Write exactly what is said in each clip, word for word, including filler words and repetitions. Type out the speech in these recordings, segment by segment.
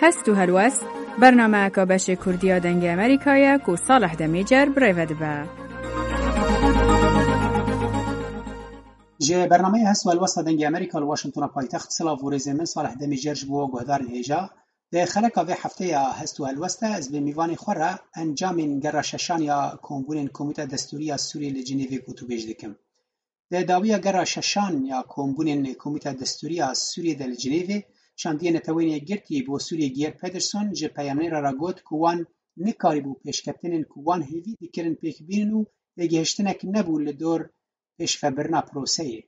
Hest û helwest, bernameyeka beşê Kurdî ya Dengê Amerîkayê ye ku Salih Demîcer bi rê ve dibe. Ji bernameya Hest û Helwesta Dengê Amerîka li Washingtona paytext, silav û rêzên min Salih Demîcer ji bo we guhdarên hêja. Di xeleka vê hefteya Hest û Helwest de ez bi mîvanê xwe re encamên gera şeşan ya Kombûnên Komîta Destûrî ya Sûriyê li Cinêvê gotûbêj dikim. Di dawiya gera şeşan ya Kombûnên Komîta Destûrî ya Sûriyê de li Cinêvê, Şandiyê Neteweyên Yekgirtî bo Sûriyê Geir Pedersen ji peyamnêra re got ku wan nikarîbû pêşketinên ku wan hêvî dikirin pêk bînin û lêgihiştinek nebû li dor pêşvebirina proseyê.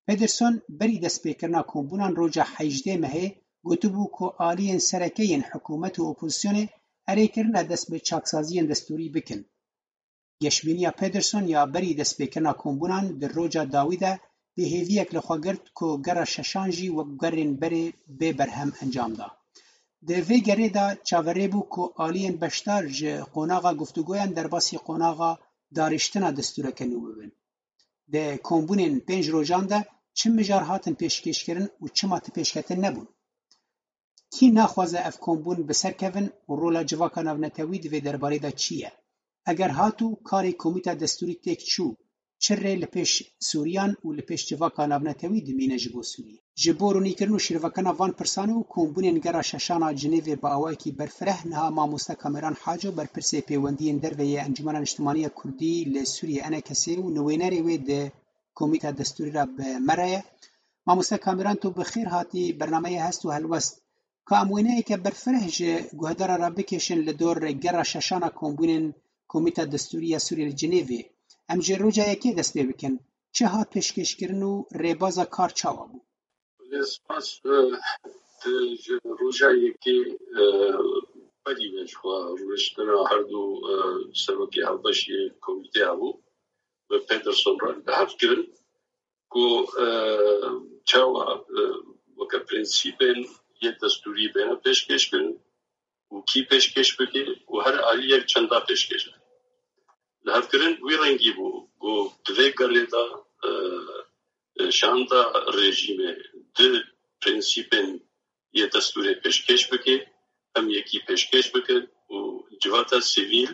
Pedersen berî destpêkirina kombûnan roja hejdê mehê gotibû ku aliyên sereke yên hikûmet û opozisyonê erê kirine dest bi çaksaziyên destûrî bikin. Geşbîniya Pedersen ya berî destpêkirina kombûnan di roja dawî de bêhêviyek li xwe girt ku gera şeşan jî wek gerên berê bê berhem encam da. Di vê gerê de çaverê bû ku aliyên beşdar ji qonaxa guftûgoyan derbasî qonaxa dariştina destûreke nû bibin. Di kombûnên pênc rojan de çi mijar hatin pêşkêşkirin û çima ti pêşketin nebûn? Kî naxwaze ev kombûn bi ser kevin û rola civaka navnetewî di vê derbarê de çi ye? Eger hatû karê komîta destûrî têk çû, çi rê li pêş Sûriyan û li pêş civaka navnetewî dimîne ji bo Sûriyê? Ji bo rûnîkirin û şîrovekirina van pirsan û kombûnên gera şeşan a Cinêvê bi awayekî berfireh niha mamoste Kameran Haco, berpirsê pêwendiyên derve yê Encûmena Niştimanî ya Kurdî li Sûriyê, ENKS'ê, û nivînerê wê di Komîta Destûrî re bi me re ye. Mamoste Kameran, tu bi xêr hatî bernameya Hest û Helwest. Ka em wêneyeke berfireh ji guhdaran re bikêşin li dor gera şeşan a kombûnên Komîta Destûrî ya Sûriyê li Cinêvê. Em ji roja yekê dest pê bikin. Çi hat pêşkêşkirin û rêbaza kar çawa bû? Lê spas, e, di ji roja yekê, e, berî ve ji xwe rûniştina her du, e, serokê hevbeş yê komîtê hebû, bi Pedersen re li hev kirin ku, e, çawa, e, weke prensîbên yê destûrî bêne pêşkêş kirin û kî pêşkêş bike û her aliyek çenda pêşkêş bike. Li hev kirin wî rengî bû ku di vê gerê de, e, e, şanda rejîmê di prensîbên yê destûrê pêşkêş bike, em yekî pêşkêş bikin û civata sivîl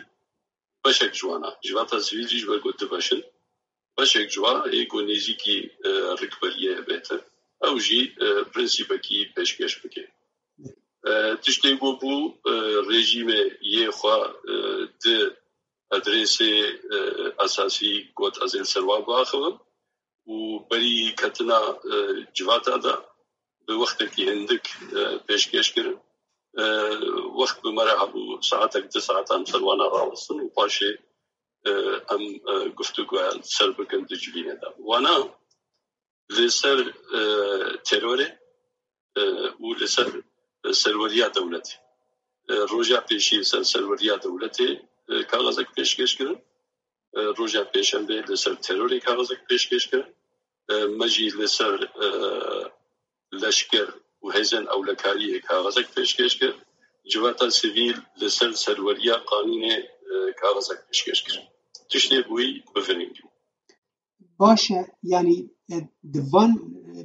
beşek ji wan e. Civata sivîl jî ji ber ku du beş in, beşek ji wan ê ku nêzîkî, e, rikberiyê bête, ew jî, e, prensîbekî pêşkêş bike. E, tiştê ku bû, e, rejîmê yê xwe, e, di adresê, e, esasî got ez ê li ser wan biaxivim û berî ketina, e, civata de bi wextekî hindik, e, pêşkêş kirin. E, wext bi me re hebû saetek du saetan ser wana rawestin û paşê, e, em, e, guftûgoya li ser bikin di civînê de. Wana li ser, e, terorê, e, û li ser, e, serweriya dewletê. E, roja pêşî li ser serweriya dewletê, e, kaxezek pêşkêş kirin. E, roja pêşembê li ser terorê kaxezek pêşkêş kirin. E, me jî li ser, e, leşker û hêzên ewlekariyê kaxezek pêşkêş kir. Civata sivîl li ser serweriya qanûnê, e, kaxezek pêşkêş kir. Tiştê bûyî bi vî rengî bû. Baş e, yanî, e, di van, e,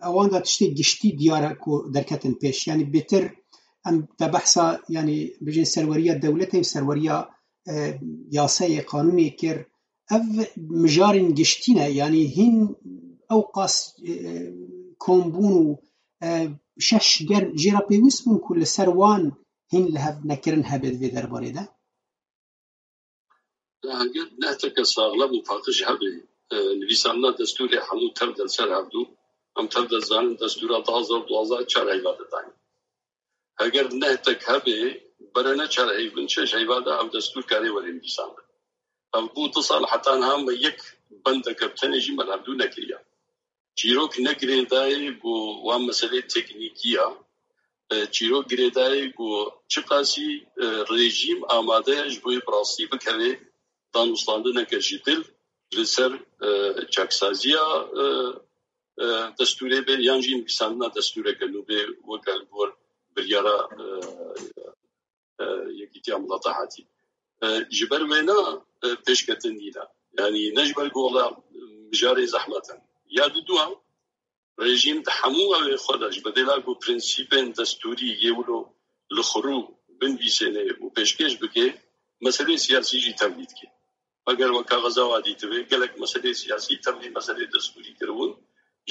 ewan de tiştê giştî diyar e ku derketin pêş. Yanî bêtir em te behsa, yanî, bijên serweriya dewletê û serweriya, e, yasayê, qanûnê kir. Ev mijarên giştî ne, yanî hîn ew qas, e, kombûn û, e, şeş ger jê re pêwîst bûn ku li ser wan hîn li hev nekirin hebe di vê derbarê de? Heger nehteke saxlem û paqij hebe, e, nivîsandina destûrê hemû tev de li ser hevdû, em tev de zanin destûra du hazar duwazdeh çar heyva de dayîn. Heger nehtek hebe, bere ne çar heyv in, şeş heyva de ev destûr karê were nivîsandin. Ev bû du sal heta niha me yek bendeke bi tenê jî me li hevdû nekiriye. Çîrok ne girêdayî ku wan meselê teknîkî ya. E, çîrok girêdayî ku çiqasî, e, rejîm amade ye ji bo yê bi rastî bikeve danûstandineke ji dil li ser, e, çaksaziya, e, e, destûrê be yan jî nivîsandina destûreke nû be weke li gor biryara, e, e, Yekîtiya Mileta hatî. E, ji ber wêna, e, pêşketin nîne. Yanî ne ji ber ku wela mijarê zehmet in. Ya diduyan, rejîm di hemû ewê xwe de ji bedêla ku prensîbên destûrî yê wilo li xurû binvîsêne û pêşkêş bike, meselê siyasî jî tevlî dike. Eger we kaxeza wa dîtibe, gelek meselê siyasî tevlî meselê destûrî kiribûn,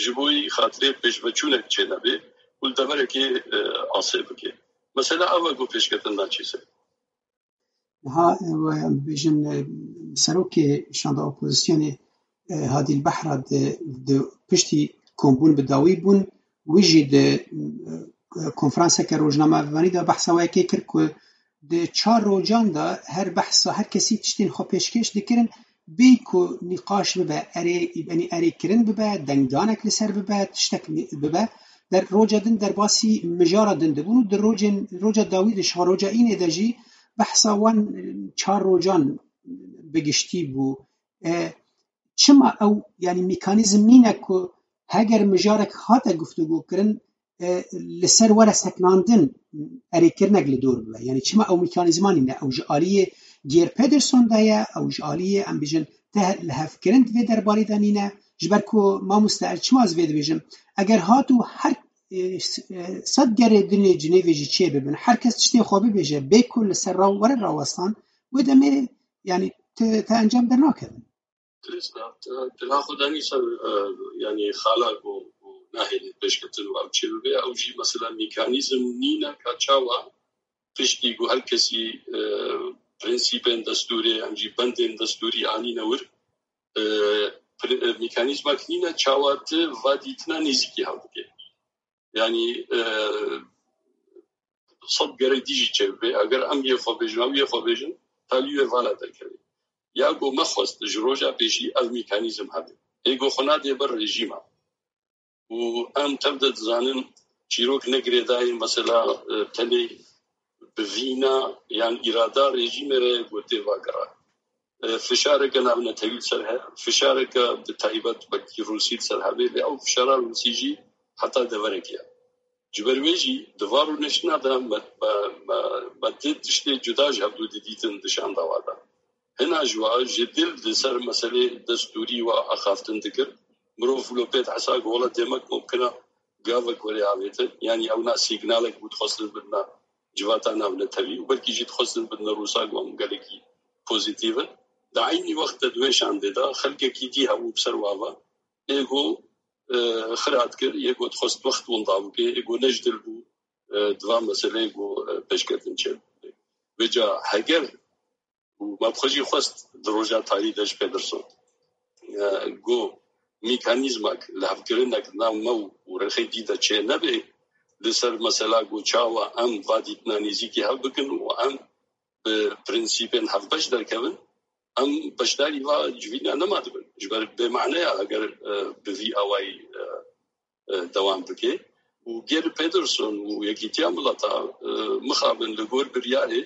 ji bo yî xatirê pêşveçûnek çênebe û li deverekê, e, asê bike. Mesela ev e ku pêşketin naçe ser. Niha, e, we em bêjin, e, serokê şanda opozisyonê, e, Hadî Behra di, di piştî kombûn bi dawî bûn, wî jî di, e, konferanseke rojnamevanî de behsa wê yekê kir ku di çar rojan de her behsa her kesî tiştên xwe pêşkêş dikirin, bê ku nîqaş bibe, erê, yanî erê kirin bibe, dengdanek li ser bibe, tiştek bibe. Der roja din derbasî mijara din dibûn û di rojên, roja dawî de, şewa roja înê de jî behsa wan çar rojan bi giştî bû. E, çima ew, yanî mekanîzm nîne ku heger mijarek hate guftûgo kirin, e, li ser were sekinandin erêkirinek li dor bibe? Yanî çima ew mekanîzma nîne? Ew ji aliyê Geir Pedersen de ye, ew ji aliyê, em bêjin, teh lihevkirin di vê derbarê de nîne? Ji ber ku mamoste, ez çima ez vê dibêjim? Eger hat û her, e, s-, e, sed gerê dinê Cinêvê jî çê bibin, her kes tiştê xwe bibêje, bê ku li ser raw-, were rawestan, wê demê, yanî, te, te encam dernakevin. Dirêst e, te, te naxwedanî ser, e, yanî xala ku, ku nahêlin pêşketin û ew çê bibe, ew jî mesela mekanîzm nîne ka çawa piştî ku her kesî, e, prensîpên destûrê, em jî bendên destûrî anîne wir, e, pri-, e, mekanîzmak nîne çawa tu va dîtina nêzîkî hev bike. Yanî, e, sed gerek dî jî çêbibe. Eger em yê xwe bêjin, ew yê xwe bêjin, talî wê vala derkeve. Ya ku me xwest ji roja pêşî ev mekanîzm hebe. Ê ku xwe nadê ber rejîma. Û em tev de dizanin çîrok ne girêdayî, mesela, e, tenê bi vîna yan îrada rejîmê re ku tê vagera. E, fişareke navnetewî li ser he, fişareke bi taybet wekî Rûsî li ser hebe, lê ew fişara Rûsî jî heta deverekê ye. Ji ber wê jî di va rûniştina de me, me, me, me ti tiştê cuda ji hevdû didîtin di şandawa de. Hina ji wa ji dil li ser meselê destûrî wa axaftin dikir. Mirov wilo pê dihesa ku wela demek mumkin e gavek were avêtin. Yanî ew na sîgnalek bû dixwestin bidine civata navnetewî û belkî jî dixwestin bidine Rûsa ku em gelekî pozîtîf in. Di eynî wext de di wê şandê de xelkekî dî hebû bi ser wa ve. Ê ku, e, xira dikir, yê ku dixwest wext winda bike, ê ku ne ji dil bû, e, di van meseleyê ku, e, pêşketin çêbû. Vêca heger û me bi xwe jî xwest di roja tarî de ji Pedersen, e, ku mekanîzmak lihevkirinek nav me û, û rexê dî de çê nebe, li ser mesela ku çawa em va dîtina nêzîkî hev bikin û em bi prensîpên hevbeş derkevin, em beşdarî va civîna nema dibin. Ji ber bêmane ya eger, e, bi vî awayî, e, e, dewam bike. Û Geir Pedersen û Yekîtiya Mileta, e, mixabin li gor biryarê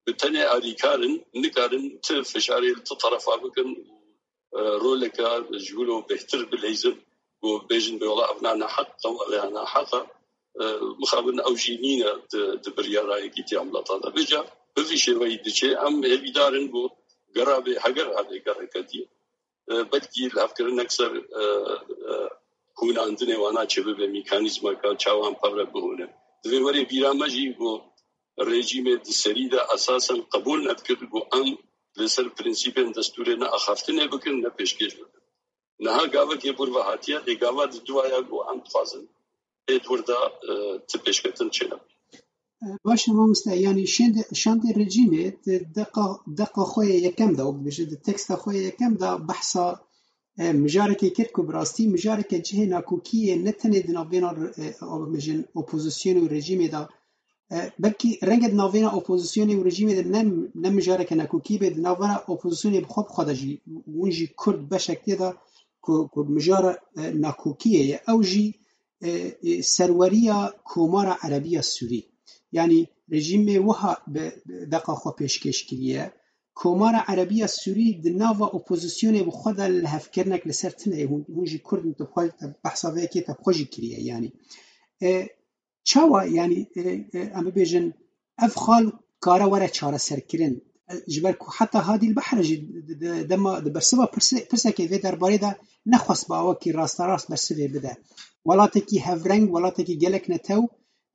bi tenê alîkar in, nikarin ti fişarê li ti terefa bikin û, e, roleke ji wilo bêhtir bileyzin, ku bêjin bê wela ev na neheq e, ev ê naheq e. E, mixabin ew jî nîne di, di biryara Yekîtiya Mileta de. Vêca bi vî şêweyî diçe, em hêvîdar in ku gera bê, heger hebe gereke dî, e, belkî lihevkirinek ser, e, e, hûnandinê wana çêbibe, mekanîzmaka çawa em pevre bihûnin. Divê were bîra me jî ku rejîmê di serî de esasen qebûl nedikir ku em li ser prensîpên destûrê ne axaftinê bikin, ne pêşkêş bikin. Niha gavekê bûr ve hatiye, lê gava di dua ya ku em dixwazin ê di wir de, e, ti pêşketin çênebe. Baş e mamoste, yanî şêndê, şandê rejîmê di deqa, deqa xwe yê yekem de, wek dibêje, di teksta xwe yê yekem de behsa, e, mijarekê kir ku bi rastî mijareke cihê nakokiyê ne tenê di navbêna, e, bibêjin, opozisyonê û rejîmê de, e, belkî renge di navbêna opozisyonê û rejîmê de ne, ne mijareke nakokî be, di navbera opozisyonê bi xwe bi xwe de jî, hûn jî Kurd beşek tê de ku, ku mijara, e, nakokiyê ye. Ew jî e, e, serweriya Komara Erebiya Sûrî. Yanî rejîmê wiha bi, bi deqa xwe pêşkêş kiriye. Komara Erebiya Sûrî di nava opozisyonê bi xwe de lihevkirinek li ser tune ye. Hûn, hûn jî Kurd in, tu xwe, te behsa vê yekê te bi xwe jî kiriye. Yanî, e, çawa, yanî, e, e, em bibêjin, ev xal kare were çareserkirin. E, ji ber ku heta Hadî Behra jî di, di, dema di bersiva pirse-, pirsekê vê derbarê de nexwest bi awakî rasterast bersivê bide. Welatekî hevreng, welatekî gelek netew,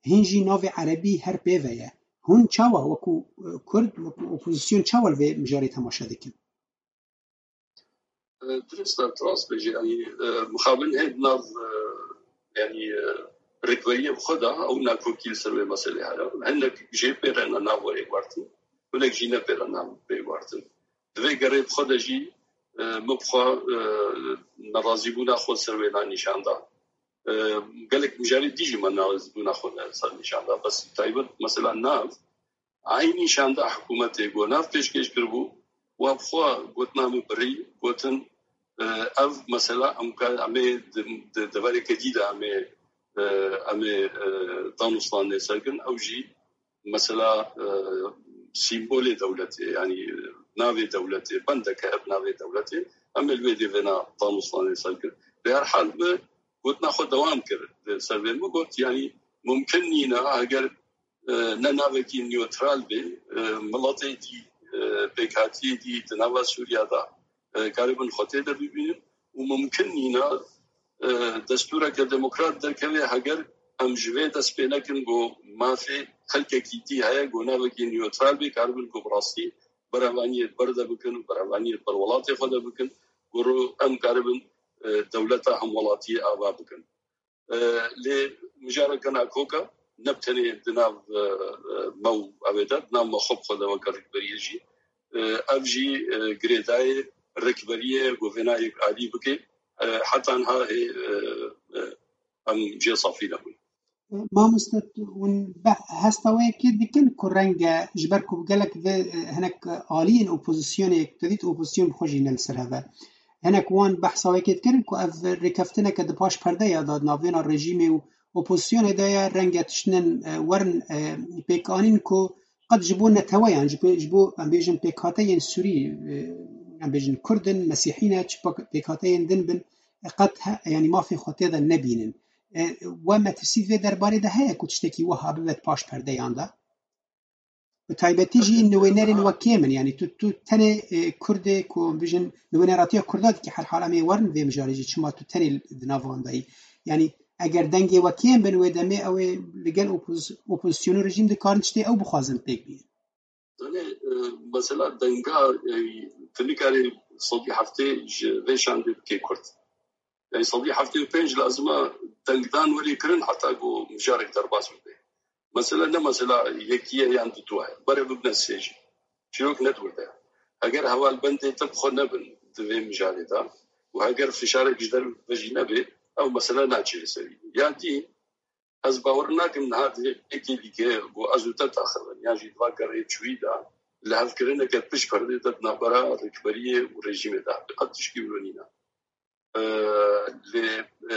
hîn jî navê erebî her pê ve ye. Hûn çawa wekû, e, Kurd, wekû opozîsyon çawa li vê mijarê temaşe dikin? Dirist e, tu rast bêjî, yanî, e, mixabin hê di nav, e, yanî, e, rikveriyê bi xwe de ew nakokî li ser wê meselê heye. Hinek jê pê re ne nav were guartin, hinek jî ne pê re nav pê guartin. Di vê gerê bi xwe de jî, e, min bi xwe, e, nerazîbûna xwe ser wê na nîşan da. E, gelek mijarê dî jî me nerazîbûna xwe ne ser nîşan da. Bes taybet mesela nav, Eynî şanda hikûmetê ku nav pêşkêş kiribû, wa bi xwe gotina min birî, gotin, e, ev mesela em ka-, em ê di, di devereke dî de em ê, e, em ê, e, danûstandinê ser kirin, ew jî mesela, e, sîmbolê dewletê, yanî navê dewletê, bendeke ev navê dewletê, em ê li wê dê vêna danûstandinê ser kirin. Lê her hal min gotina xwe dewam kir, li ser vê min got, yanî mumkin nîne, heger e, ne navekî newtral be, e, miletê dî, e, pêkhatiyê dî di nava Sûriya de, e, karibin xwe tê de bibînin û mumkin nîne, e, destûreke demokrat derkeve heger em ji vê dest pê nekin ku mafê xelkekî dî heye ku navekî newtral be, karibin ku bi rastî berevaniyê ber de bikin û berevaniyê ber welatê xwe de bikin, ku ro-, em karibin, e, dewleta hemwelatiyê ava bikin. E, lê mijareke nakoka ne bi tenê di nav, e, e, me û ew ê de, di nav me xwe bi xwe de weke rikberiyê jî. E, ev jî, e, girêdayê rikberiyê ku vêna yek alî bike, e, heta niha hê, e, e, em jê safî nebûn. Mamoste, hûn be-, hesta wê yekê dikin ku renge ji ber ku gelek vê, e, hinek aliyên opozisyonê, tu dît opozisyon bi xwe jî ne li ser hev e. Hinek wan behsa wê yekê dikirin ku ev rêkeftineke di paş perdeya de di navbêna rejîmê û opozisyonê de ye, renge tiştinin, e, werin, e, pêkanîn ku qet ji bo neteweyan, ji bo, ji bo, em bêjin, pêkhateyên Sûrî, e, em bêjin Kurd in, Mesîhî ne, çi pêk-, pêkhateyên din bin, qet he-, yanî mafê xwe tê de nebînin. E, we metirsî vê derbarê de heye ku tiştekî wiha bibe di paş perdeyan de? Bi taybetî jî nûênerên we kêm in, yanî tu, tu tenê, e, Kurdê ku em bijin nûêneratiya Kurda dikî, her hal em ê werin vê mijarê jî, çima tu tenê di nav wan de yî? Yanî eger dengê we kêm bin wê demê, ew ê li gel opoz-, opozîsyonê rejîm dikarin tiştê ew bixwazin pêk bînin. Zanê, e, mesela denga, e, tu nikarî sedî heftê ji vê şandê bikê kurt. Yani sedî heftê û pênc lazim e dengdan werê kirin heta ku mijarek derbas bibe. Mesela ne mesela yekî ye yan didu ye. Bere bibine sê jî. Çîrok ne di wir de ye. Heger hevalbendê te bi xwe nebin di vê mijarê de û heger fişarek ji derve jî nebe, ew mesela naçe li serî. Ya dî, Ez bawer nakim niha divê êkê dîke ku ez û te taxivin, yan jî di va gerê çûyî de lihevkirineke pişt perdê de di navbera rêkberiyê û rejîmê de hebe. Qet tişkî wilo nîne. E, lê, e,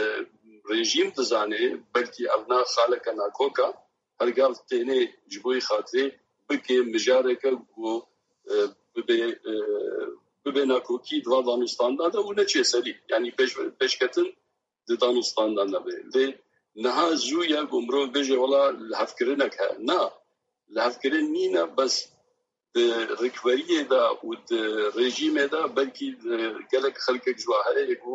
rejîm dizane, belkî ev na xaleke nakok e, her gav tênê ji bo xatirê bike mijareke ku, e, bibe, e, bibe nakokî di va danûstanda de û neçe serî. Yanî pêş, pêşketin di danûstanda nebe. Lê niha zû ye ku mirov bêje, wela lihevkirinek heye. Na, lihevkirin nîne, bes di rikberiyê de û di rejîmê de belkî, e, gelek xelkek ji wa heye ku,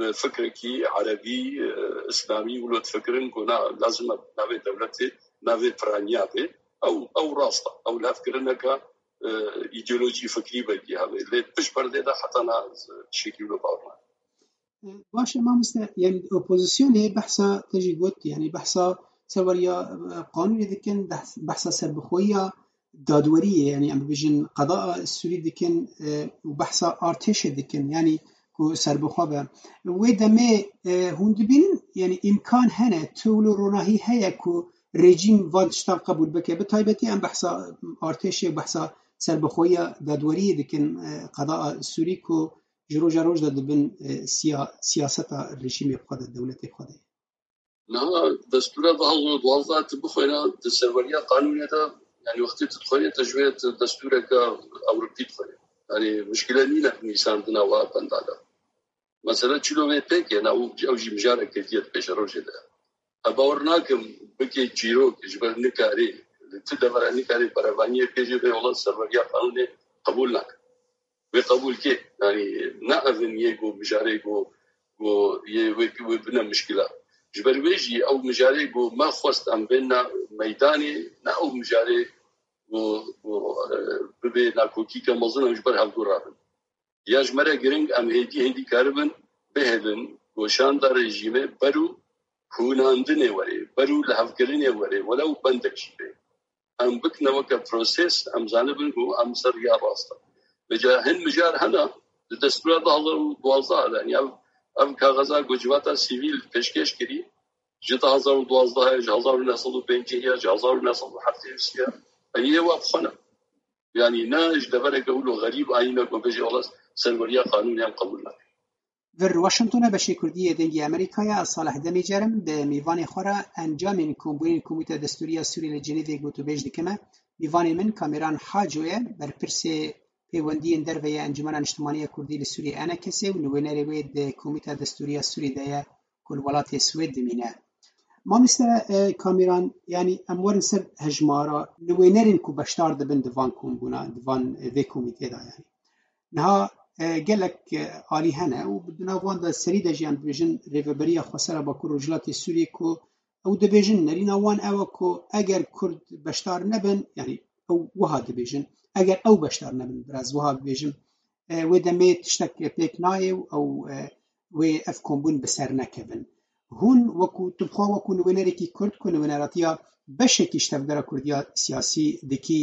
e, fikrekî erebî, e, îslamî wilo difikirin ku na, lazim e navê dewletê, navê piraniya be. Ew, ew rast e. Ew lihevkirineke, e, îdeolojî fikrî belkî hebe. Lê pişt perdê de heta niha ez tiştekî wilo bawer nakim. Baş e mamoste, yani opozisyonê behsa te jî got, yani behsa serweriya, e, qanûnê dikin, behs-, behsa serbixweyiya dadweriyê, yani em bibêjin qedaa Sûrî dikin, e, û behsa artêşê dikin, yani ku serbixwe be. Wê demê, e, hûn dibînin, yani îmkan hene, tewlo ronahî heye ku rejîm van tiştan qebûl bike. Bi taybetî em behsa artêşê û behsa serbixweyiya dadweriyê dikin, e, qedaa Sûrî ku ji roja roj de dibin, e, siya-, siyaseta rejîmê xwe de, dewletê xwe de. Niha destûra du hazar û duwazdeh tu bixwîne di serweriya qanûnê de, yanî wextê tu dixwînî te ji wê tu destûreke ewropî dixwînî. Yanî muşkile nîne nîsandina wa benda de. Mesela çilo vê pêk e, na û ew jî mijareke dî ye di pêşerojê de. Ez bawer nakim bike çîrok, ji ber nikarî, li tu devera nikarî berevaniyê bêje vê welat serweriya qanûnê qebûl nake. Wê qebûl ke, yanî ne ev in yê ku mijarê ku, ku yê wê, wê bine mişkila. Ji ber wê jî ew mijarê ku me xwest em bên na meydanê, ne ew mijarê û, û e, bibê nakokîke mezin em ji ber hevdû rabin. Ya ji me re giring em hêdî hêdî karibin bihêlin goşanda rejîmê ber û hûnandinê werê, ber û lihevkirinê werê, welew bendek jî bê. Em bikine weke proses, em zanibin ku em ser riya rast in. Vêca hin mijar hene, di destûra du hazar û duwazdeh de, yanî ev, ev kaxeza ku civata sivîl pêşkêş kirî, ji du hazar û duwazdeh ya, ji hezar û neh sed û pêncî ya, ji hezar û neh sed û heftê ya, yanî yê wa bi xwe ne. Yanî ne ji devereke wilo xerîb ayî me ku bêje wela serweriya qanûnê em qebûl nakin. Vir Washingtonê beşê Kurdî yê Dengê Amerîkayê, ez Salih Demîcer im, bi mîvanê xwe re encamên kombûnên Komîta Destûrî ya Sûrî li Cenîvê gotûbêj dikime. Mîvanê min Kamîran Haco ye, berpirsê pêwendiyên derve yê Encûmena Niştimanî ya Kurdî li Sûrî, ENKSê, û nivînerê wê di Komîta Destûrî ya Sûrî de ye ku li welatê Swêd dimîne. Mamoste, e, Kamîran, yanî em werin ser hejmara nivînerên ku beşdar dibin di van kombûna, di van, e, vê komîtê de yanî. Niha, e, gelek, e, alî hene û di nav wan de serî de jî em dibêjin Rêveberiya Xweser a Bakur Rojhilatê Sûriyê ku ew dibêjin nerîna wan ew e ku eger Kurd beşdar nebin, yanî ew wiha dibêjin, eger ew beşdar nebin, biraz wiha bibêjim, e, wê demê tiştek pêk nayê û ew, e, wê ev kombûn bi ser nekevin. Hûn wekû, tu bi xwe wekû nivînerekî Kurd ku nivîneratiya beşekî ji tevgera Kurdiya siyasî dikî,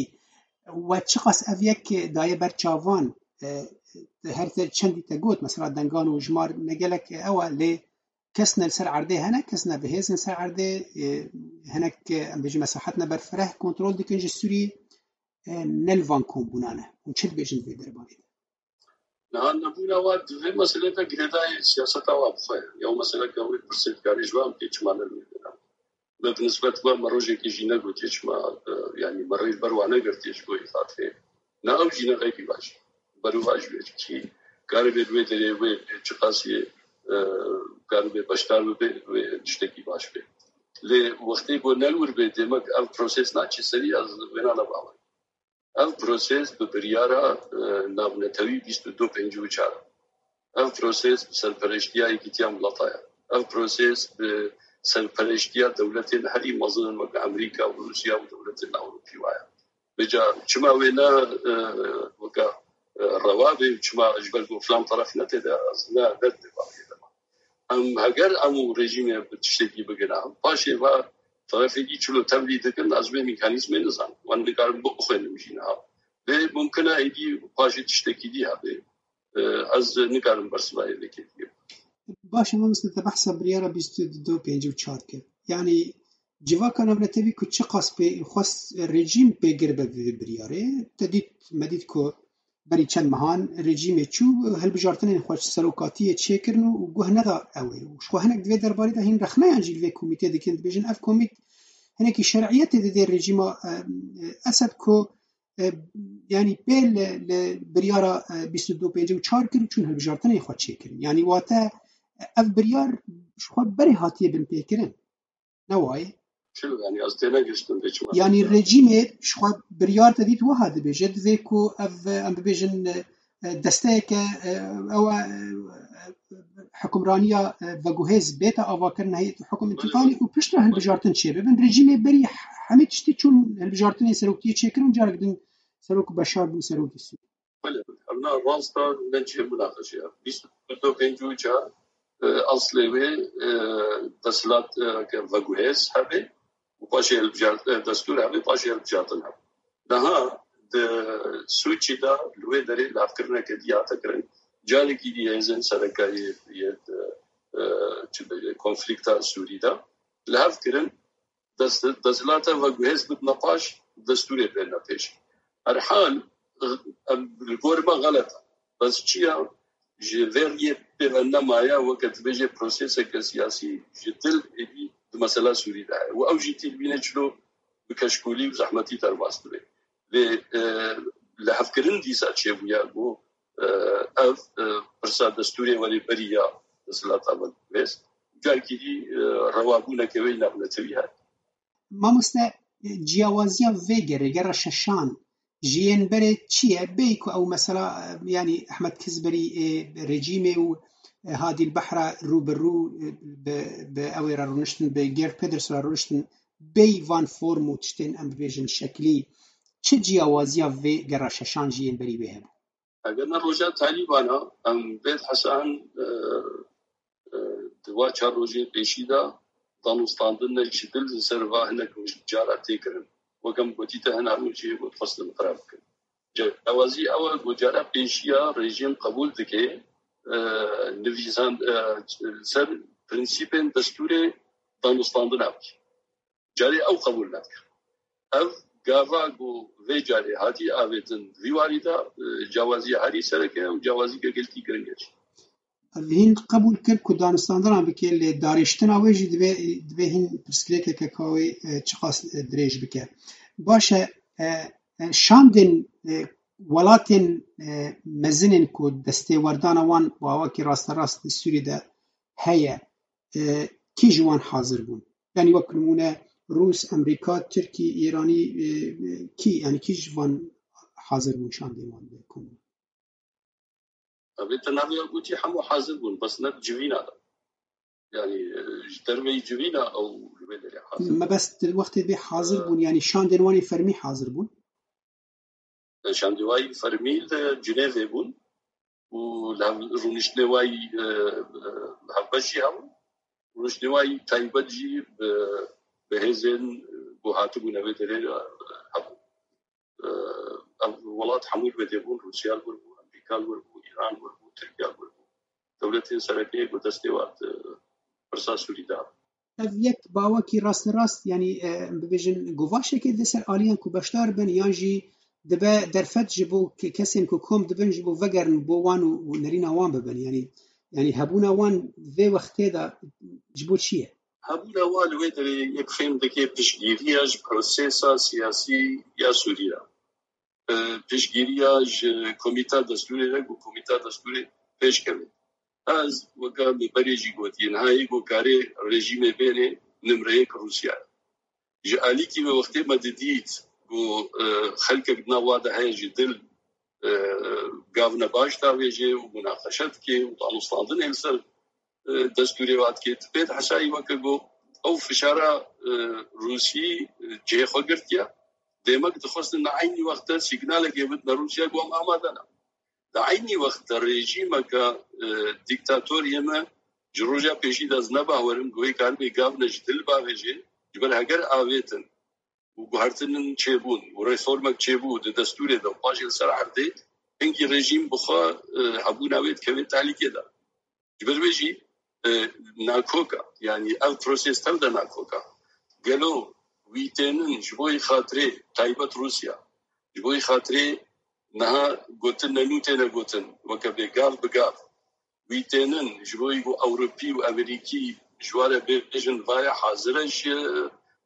we çiqas ev yek daye ber çavan, e, her te çendî te got, mesela dengan û jimar ne gelek ew e, lê kes ne li ser erdê hene, kes ne bi hêz ne ser erdê, e, hinek, e, em bêjin mesahet ne berfireh kontrol dikin ji Sûriyê, e, ne li van kombûnan e. Hûn çi dibêjin di vê derbarê de? Niha nebûna wa di vê meselê de girêdayî siyaseta wa bi xwe ye. Ew meseleke wê pirsê dikarê ji wan bikê çima ne li wê dera. Me bi nisbet we me rojekê jî negotiye çima, e, yanî me rê li ber wa negirtiye ji bo îxafê. Ne ew jî ne xeyrî baş. Berovajî wê kî karibe li wê derê wê çiqasî, e, karibe beşdar bibe wê tiştekî baş be. Lê wextê ku ne li wir bê demek ev proses naçe serî ez wêna ne bawer. Ev proses bi biryara, e, navnetewî bîst û du pêncî û çar. Ev proses bi serpereştiya Yekîtiya Mileta ye. Ev proses bi serpereştiya dewletên herî mezin wek Amerîka û Rûsya û dewletên Ewropî wa ye. Vêca çima wê ne, e, weke, e, rewa bê û çima ji ber ku filan teref ne tê de, ez ne, ne dibê bavê de. Em heger em û rejîmê bi tiştekî bigina, paşê va terefekî çilo tevlî dikin, ez vê mekanîzmê nizanim. Wan nikarin bixwînim jî niha. Lê mumkin e êdî paşê tiştekî dî hebe. E, ez nikarim bersiva yê vê kêfiyê. Baş e, mamoste, te behsa biryara bîst û du pêncî û çar kir. Yanî civaka navnetewî ku çiqas pê xwest rejîm pêgir be bi vê biryarê, te dît, me dît ku berî çend mehan rejîmê çû, hilbijartinên xwe serokatiyê çêkirin û guh neda ew ê. Û ji xwe hinek di vê derbarê de hîn rexneyan jî li vê komîtê dikin, dibêjin ev komît hinekî şer'iyetê didê rejîma, e, e, Esed ku, e, yanî pê li, li biryara, e, bîst û du pêncî û çar kir û çûn hilbijartinên xwe çêkirin. Yanî wate, e, ev biryar ji xwe berê hatiye binpêkirin. Ne wayê? Çilo, yanî ez tênegihiştim vê çima. Yanî rejîmê ji xwe biryar te dît wiha dibêje, divê ku ev, em bibêjin, e, desteyeke, e, ew e, e, hukimraniya, e, veguhêz bête avakirin heyet hukum întiqalî û piştre hilbijartin çêbibin. Rejîmê berî hemî tiştî çûn hilbijartinên seroktiyê çêkirin û carek din serok Beşar bû serokê Sûriyê. Belê, ev na rast e, ne cihê munaqeşê ye. Bîst û du pêncî û çar, e, eslê wê, e, desthilat, e, ke veguhêz hebe û paşê hilbijar-, e, destûr hebe, paşê hilbijartin hebe. Niha di Sûçî de li wê derê lafkirineke dî hate kirin. Carekî dî hêzên sereke yê, yê, e, e, çi bêje, konflîkta Sûrî de li hev kirin. Dest-, desthilata veguhêz bidine paş, destûrê bêne pêş. Her hal, em, li gor me xelet e. Bes çi ye? Ji vê riyê pê ve nemaye, weke dibêje proseseke siyasî ji dil êdî di mesela Sûrî de heye. Û ew jî tî dibîne çilo bi keşkolî û zehmetî derbas dibe. Lê, e, lihevkirin dîsa çêbûye ku, e, ev, e, pirsa destûrê werê berî ya desthilata veguhêz. Carekî dî, e, rewabûneke wê navnetewî heye. Mamoste, e, ciyawaziya vê gerê, gera şeşan, ji yên berê çi ye? Bêyî ku ew mesela, e, yanî Ehmed Kizberî, e, rejîmê û, e, Hadî El Behra rû bi rû, e, bi, bi ew ê re rûniştin, bi Geert Wilders re rûniştin, bêyî van form û tiştên, em bibêjin, şeklî, çi ciyawaziya vê gera şeşan jî yên berî wê hebû? Eger ne roja Talîbana, em vê hesan, e, e, di wa çar rojên pêşî de danûstandin ne ji dil li ser va hinek cara tê kirin. Wek em gotî te hina rojê got xwestin xirab bikin. Cewazî ew e ku cara pêşiya rejîm qebûl dike, e, nivîsan, e, ser prensîpên destûrê danûstandina bike. Carê ew qebûl nadike. Ev gava ku vê carê hatî avêtin vî warî de, e, cawaziya herî sereke û cawazîke gelkî giring e jî. Ev hîn qebûl kir ku danûstandina bike, lê darêştina wê jî divê, divê hîn pirsgirêkeke ka wê, e, çiqas, e, dirêj bike. Baş e, e, e, şandên, e, welatên, e, mezin ên ku destêwerdana wan bi awakî rasterast li Sûriyê de heye, e, kî ji wan hazir bûn? Yanî wek nimûne Rûs, Amerîka, Tirkî, Îranî, e, e, kî, yanî kî ji van hazir bûn şandên wan de komûn? Ev ê te navê gotî hemû hazir bûn, bes ne civîna de. Yanî, e, ji derveyî civîna ew li vê derê hazir bûn. Mebest wextê bê hazir bûn, yanî şandên wan ê fermî hazir bûn? Şandîwayî fermî li Cinevê bûn û li hev-, rûniştinê wayî, e, e, hevbeş jî hebûn. Rûniştinê wayî taybet jî bi, bi hêzên ku hatibûne vê derê, e, hebûn. E, ev welat hemû li wê dê bûn, Rûsya li wir bû, Amerîka li wir bû, Îran li wir bû, Tirkiya li wir bû. Dewletên sereke ku destê wan di pirsa Sûrî de. Ev yek bawekî rasterast, yanî, e, em bibêjin, guvaşekê di ser aliyan ku beşdar bin, yan jî dibe derfet ji bo ke-, kesên ku kom dibin ji bo vegerin bo wan û, û nerîna wan bibin. Yanî, yanî hebûna wan vê wextê de ji bo çi ye? Hebûna wan li wê derê yek fêm dike piştgiriya ji prosesa siyasî ya Sûrî re. E, piştgiriya ji komîta destûrê re ku komîta destûrê pêş keve. Ez weke min berê jî gotiye, niha yê ku karê rejîmê bêne nimre yek Rûsya ye. Ji alîkî ve wextê me didît ku, e, xelkek di nav wa de heye ji dil, e, gavne baş davêje û munaqeşe dike û danûstandinê li ser, e, destûrê wa dike. Pê dihesayî weke ku ew fişara, e, Rûsî, e, cihê xwe girtiye. Demek dixwestin di eynî wextde sîgnalekê bidine Rûsya ku em amade ne. Di eynî wextde rejîmeke, e, dîktatoriyê me ji roja pêşî de ez ne bawerim ku wê karibê gavne ji dil bavêje, ji ber heger avêtin û guhertinin çêbûn û reformek çêbû di destûrê de û paşê li ser erdê, hingî rejîm bi xwe, e, hebûna wê dikeve tehlîkê de. Ji ber vê jî, e, nakok e. Yanî ev proses tev de nakok e. Gelo wî tênin ji bo yê xatirê taybet Rûsya, ji bo yê xatirê niha gotin ne nû têne gotin, weke bê gav bi gav. Wî tênin ji bo yê ku Ewropî û Amerîkî ji wa re bêjin vaye hazir e ji,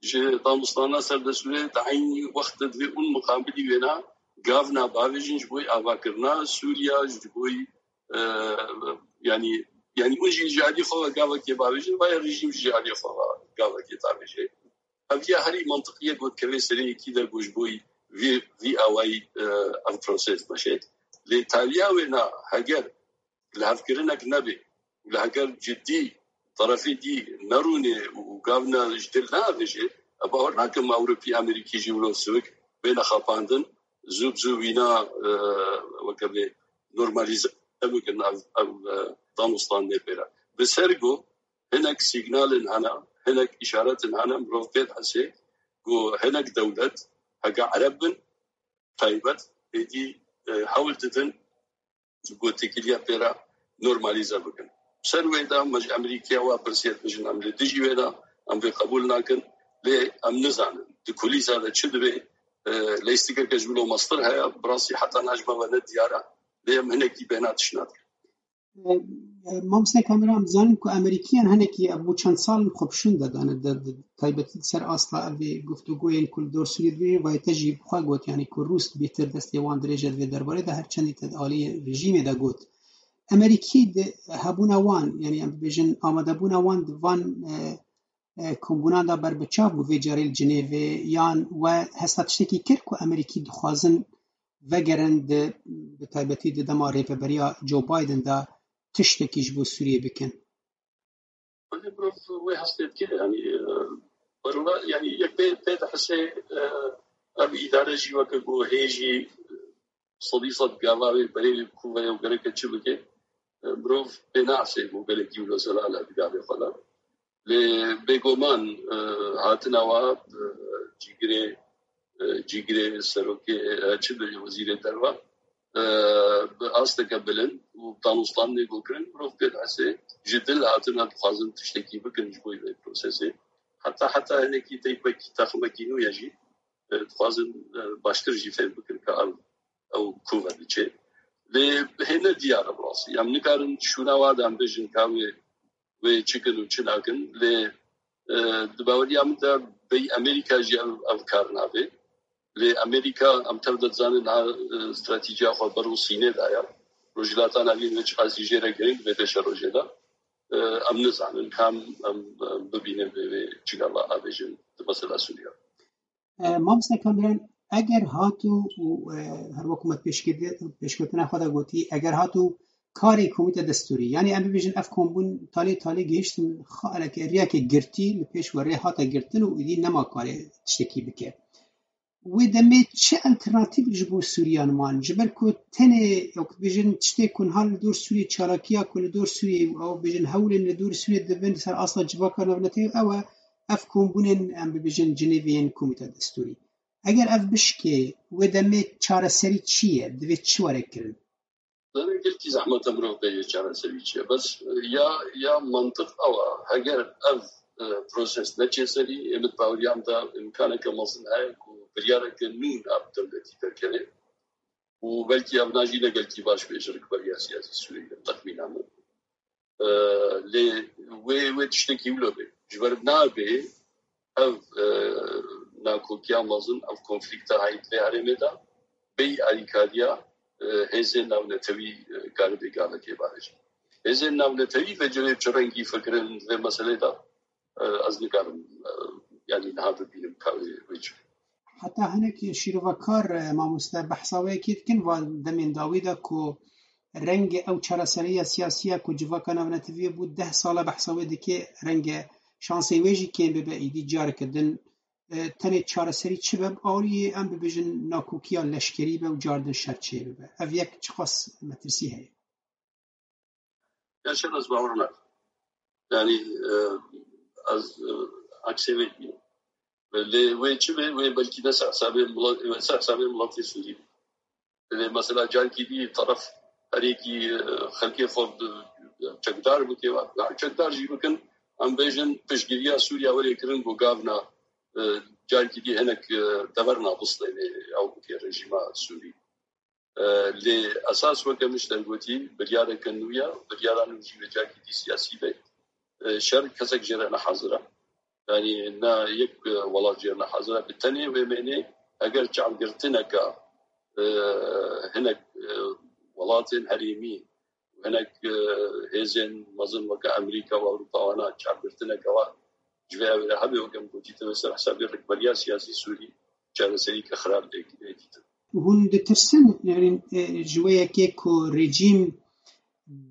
ji danûstana ser destûrê, di eynî wext de divê ûn muqabilî wêna gavna bavêjin ji bo yê avakirina Sûriya, ji bo yê, e, yanî, yanî ûn jî ji alî xwe ve gavekê bavêjin, vaye rejîm jî ji alî xwe ve gavekê davêje. Ev ya herî mantiqî ye ku dikeve serê yekî de ku ji bo vî, vî awayî, e, ev proses meşe. Lê taliya wê na heger lihevkirinek nebe û li heger cidî terefê dî nerûne û gavna ji dil neavêje, ez bawer nakim Ewropî, Amerîkî jî wilo sivik bêne xapandin, zû bi zû wîna, e, weke bê normalîze bikin ev, ev, e, danûstandinê pê re. Bi ser ku hinek sîgnalên hene, hinek îşaretên hene, mirov pê dihese ku hinek dewlet, heke ereb bin, taybet, êdî, e, hewl didin ji gotekiliya pê re normalîze bikin. Ser wê de me ji Amerîkaya wa pirsiye, dibêjin em li dijî wê ne, em vê qebûl nakin, lê em nizanin di kulîsa de çi dibe, e, leyîstikeke ji wilo mestir heye, bi rastî heta niha ji me ve ne diyar e, lê em hinekî bêhna tişt nadikin. E, e, Mamoste Kamera, em dizanin ku Amerîkiyan hinekî ev bû çend sal in xwe bi şûn de dane, de, de, taybetî ser asta ev ê guftûgoyên ku li dor Sûriyê dibêjin, vayê te jî bi xwe got, yanî ku Rûs bêtir destê wan dirêje di vê derbarê de, her çendî te di aliyê rejîmê de got. Amerîkî di hebûna wan, yanî em bibêjin amadebûna wan di van, e, e, kombûnan de berbiçav bû vê carê li Cinêvê, yan we hesta tiştekî kir ku Amerîkî dixwazin vegerin di, bi taybetî di dema rêveberiya Joe Biden de tiştekî ji bo Sûriyê bikin? Belê, mirov wê hestê dike, yanî, e, berla, yanî, yek pê, pê dihese, e, Ev îdare jî weke ku hê jî sedî sed gava wê berê wê bikûve û gereke çi bike, e, mirov pê naasê ku gelekî wilo zelal e di gavê xwe de. Lê bêguman, e, hatina wa, e, cîgirê, e, cîgirê serokê, e, çi bêje wezîrê derve, e, bi asteke bilind û danûstan lêgokirin, mirov pê dihese ji dil hatina dixwazin tiştekî bikin ji bo vê prosesê. Heta, heta hinekî teypekî, taximekî nû ye jî, e, dixwazin, e, baştir jî fêm bikin ka ev, ew ku ve diçe. Lê hê ne diyar e bi rastî. Em nikarin şûna wa de em bêjin ka wê, wê çi kin û çi nakin. Lê, e, di baweriya min de bêyî Amerîka jî ev, ev kar nabe. Lê Amerîka, em tev de dizanin, niha, e, stratejiya xwe ber û Sînê daye. Rojhilata Navîn wê çiqasî jê re girîng bê pêşerojê de. E, em nizanin, kam em, em bibînin vê, vê çi gava abêjin di mesela Sûriya. E, Mamoste Kamiran, eger hatu û, e, her wek me pêşkirdi-, pêşketina xwe de gotî, eger hatu karê komîte destûrî, yanî em bibêjin ev kombûn talê talê gihiştin xaleke riyeke girtî li pêş we rê hate girtin û îdî nema karê tiştekî bike. Wê demê çi alternatîv ji bo Sûriyan man? Ji ber ku tenê, wek bêjin, tiştê ku niha li dor Sûriyê, çalakiya ku li dor Sûriyê û ew bêjin hewlên li dor Sûriyê dibin ser asta civaka navnetewî ew e, ev kombûnên, em bibêjin, Cinêvê yên Komîta Destûrî. Eger ev bişkê, wê demê çareserî çi ye? Divê çi were kirin? Zanî, gelkî zehmet e mirov bêje çareserî çi ye. Bes ya, ya mantiq ew e. Heger ev, e, proses neçe serî, ê min baweriya min de îmkaneke mezin heye ku biryareke nû nav dewletî derkeve. Û belkî ev na jî ne gelkî baş bê ji rikberiya siyasî Sûriyê, texmîna min. E, lê wê, wê tiştekî wilo bê. Ji ber nabê ev, e, nakokiya mezin, ev konflîkta heyî di vê herêmê de bêyî alîkariya, e, hêzên navnetewî, e, karibe gavekê bavêje. Hêzên navnetewî vê cihê çi rengî fikirin di vê meselê de, e, ez nikarim, e, yanî niha bibînim ka wê, wê çi. Heta hinek şîrovekar, e, mamoste, behsa wê yekê dikin, va demên dawî de ku rengê ew çareseriya siyasî ye ku civaka navnetewî bû deh sal e behsa wê dike, renge şansê wê jî kêm bibe, îdî careke din, e, tenê çareserî çi be, bi awiyê em bibêjin nakokiya leşkerî be û cardin şer çêbibe. Ev yek çiqas metirsî heye? Ya şer ez bawer nakim. Yanî, e, ez, e, aksê wê dibînim. Lê wê çi be? Wê belkî ne ser hesabê milet-, wê ser hesabê miletê Sûrî be. Lê mesela carkî dî teref herêkî, e, xelkê xwe bi, çekdar bike, ya çekdar jî bikin, em bêjin piştgiriya Sûriya were kirin ku gavna, e, carkî dî hinek, e, deverna bistêne ew bike rejîma Sûrî. E, lê esas weke min ji te gotî, biryareke nû ye, biryara nû jî wê carkî dî siyasî be. E, şer kesek jê re ne hazir e. Yanî ne yek, e, welat jê re ne hazir e. Bi tenê wê mênê, eger çavgirtineke, e, hinek, e, welatên herêmî, hinek, e, hêzên mezin weke Amerîka û Ewropa wana çavgirtineke wa ji vê ewê re hebe, weke min gotî, divê ser hesabê rikberiya siyasî Sûrî çareserîke xirab bê dîtin. Hûn ditirsin, yanî, e, ji wê yekê ku rejîm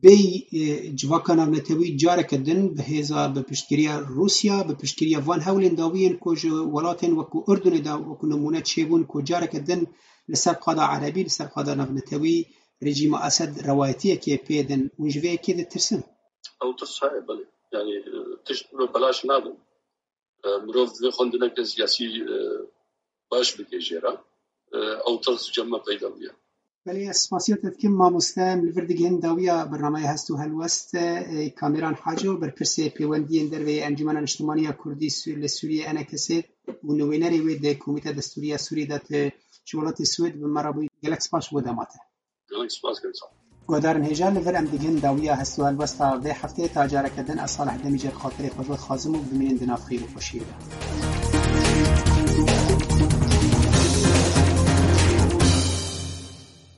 bêy, e, civaka navnetewî careke din bi hêza, bi piştgiriya Rûsya, bi piştgiriya van hewlên dawiyên ku ji welatên wekû Urdunê de wekû nimûne çêbûn ku careke din li ser qada erebî, li ser qada navnetewî rejîma Esed rewayetiyekê pê din. Hûn ji vê yekê ditirsin? Ew tirs heye, belê. Yanî, e, tişt bi belaş nabin. E, mirov divê xwendineke siyasî, e, baş bike jê re. E, ew tirs cem me peyda bûye. Belê, ez spasiya te dikim, mamoste. Em li vir digihin dawiya bernameya Hest û Helwest, e, Kamîran Haco, berpirsê pêwendiyên derve yê Encûmena Niştimanî ya Kurdî Sû-, li Sûriyê, E N K S, û nivînerê wê di Komîta Destûrî ya Sûriyê de, tu ji welatê Swêd bi me re bûyî. Gelek spas ji bo dema te. Gelek spas, gelek spas. Guhdarên hêja, li vir em digihên dawiya Hest û Helwesta vê hefteyê. Ta careke din, ez Salih Demîcer xatirê xwe ji we dixwazim û bimînin di nav xêr û xweşiyê de.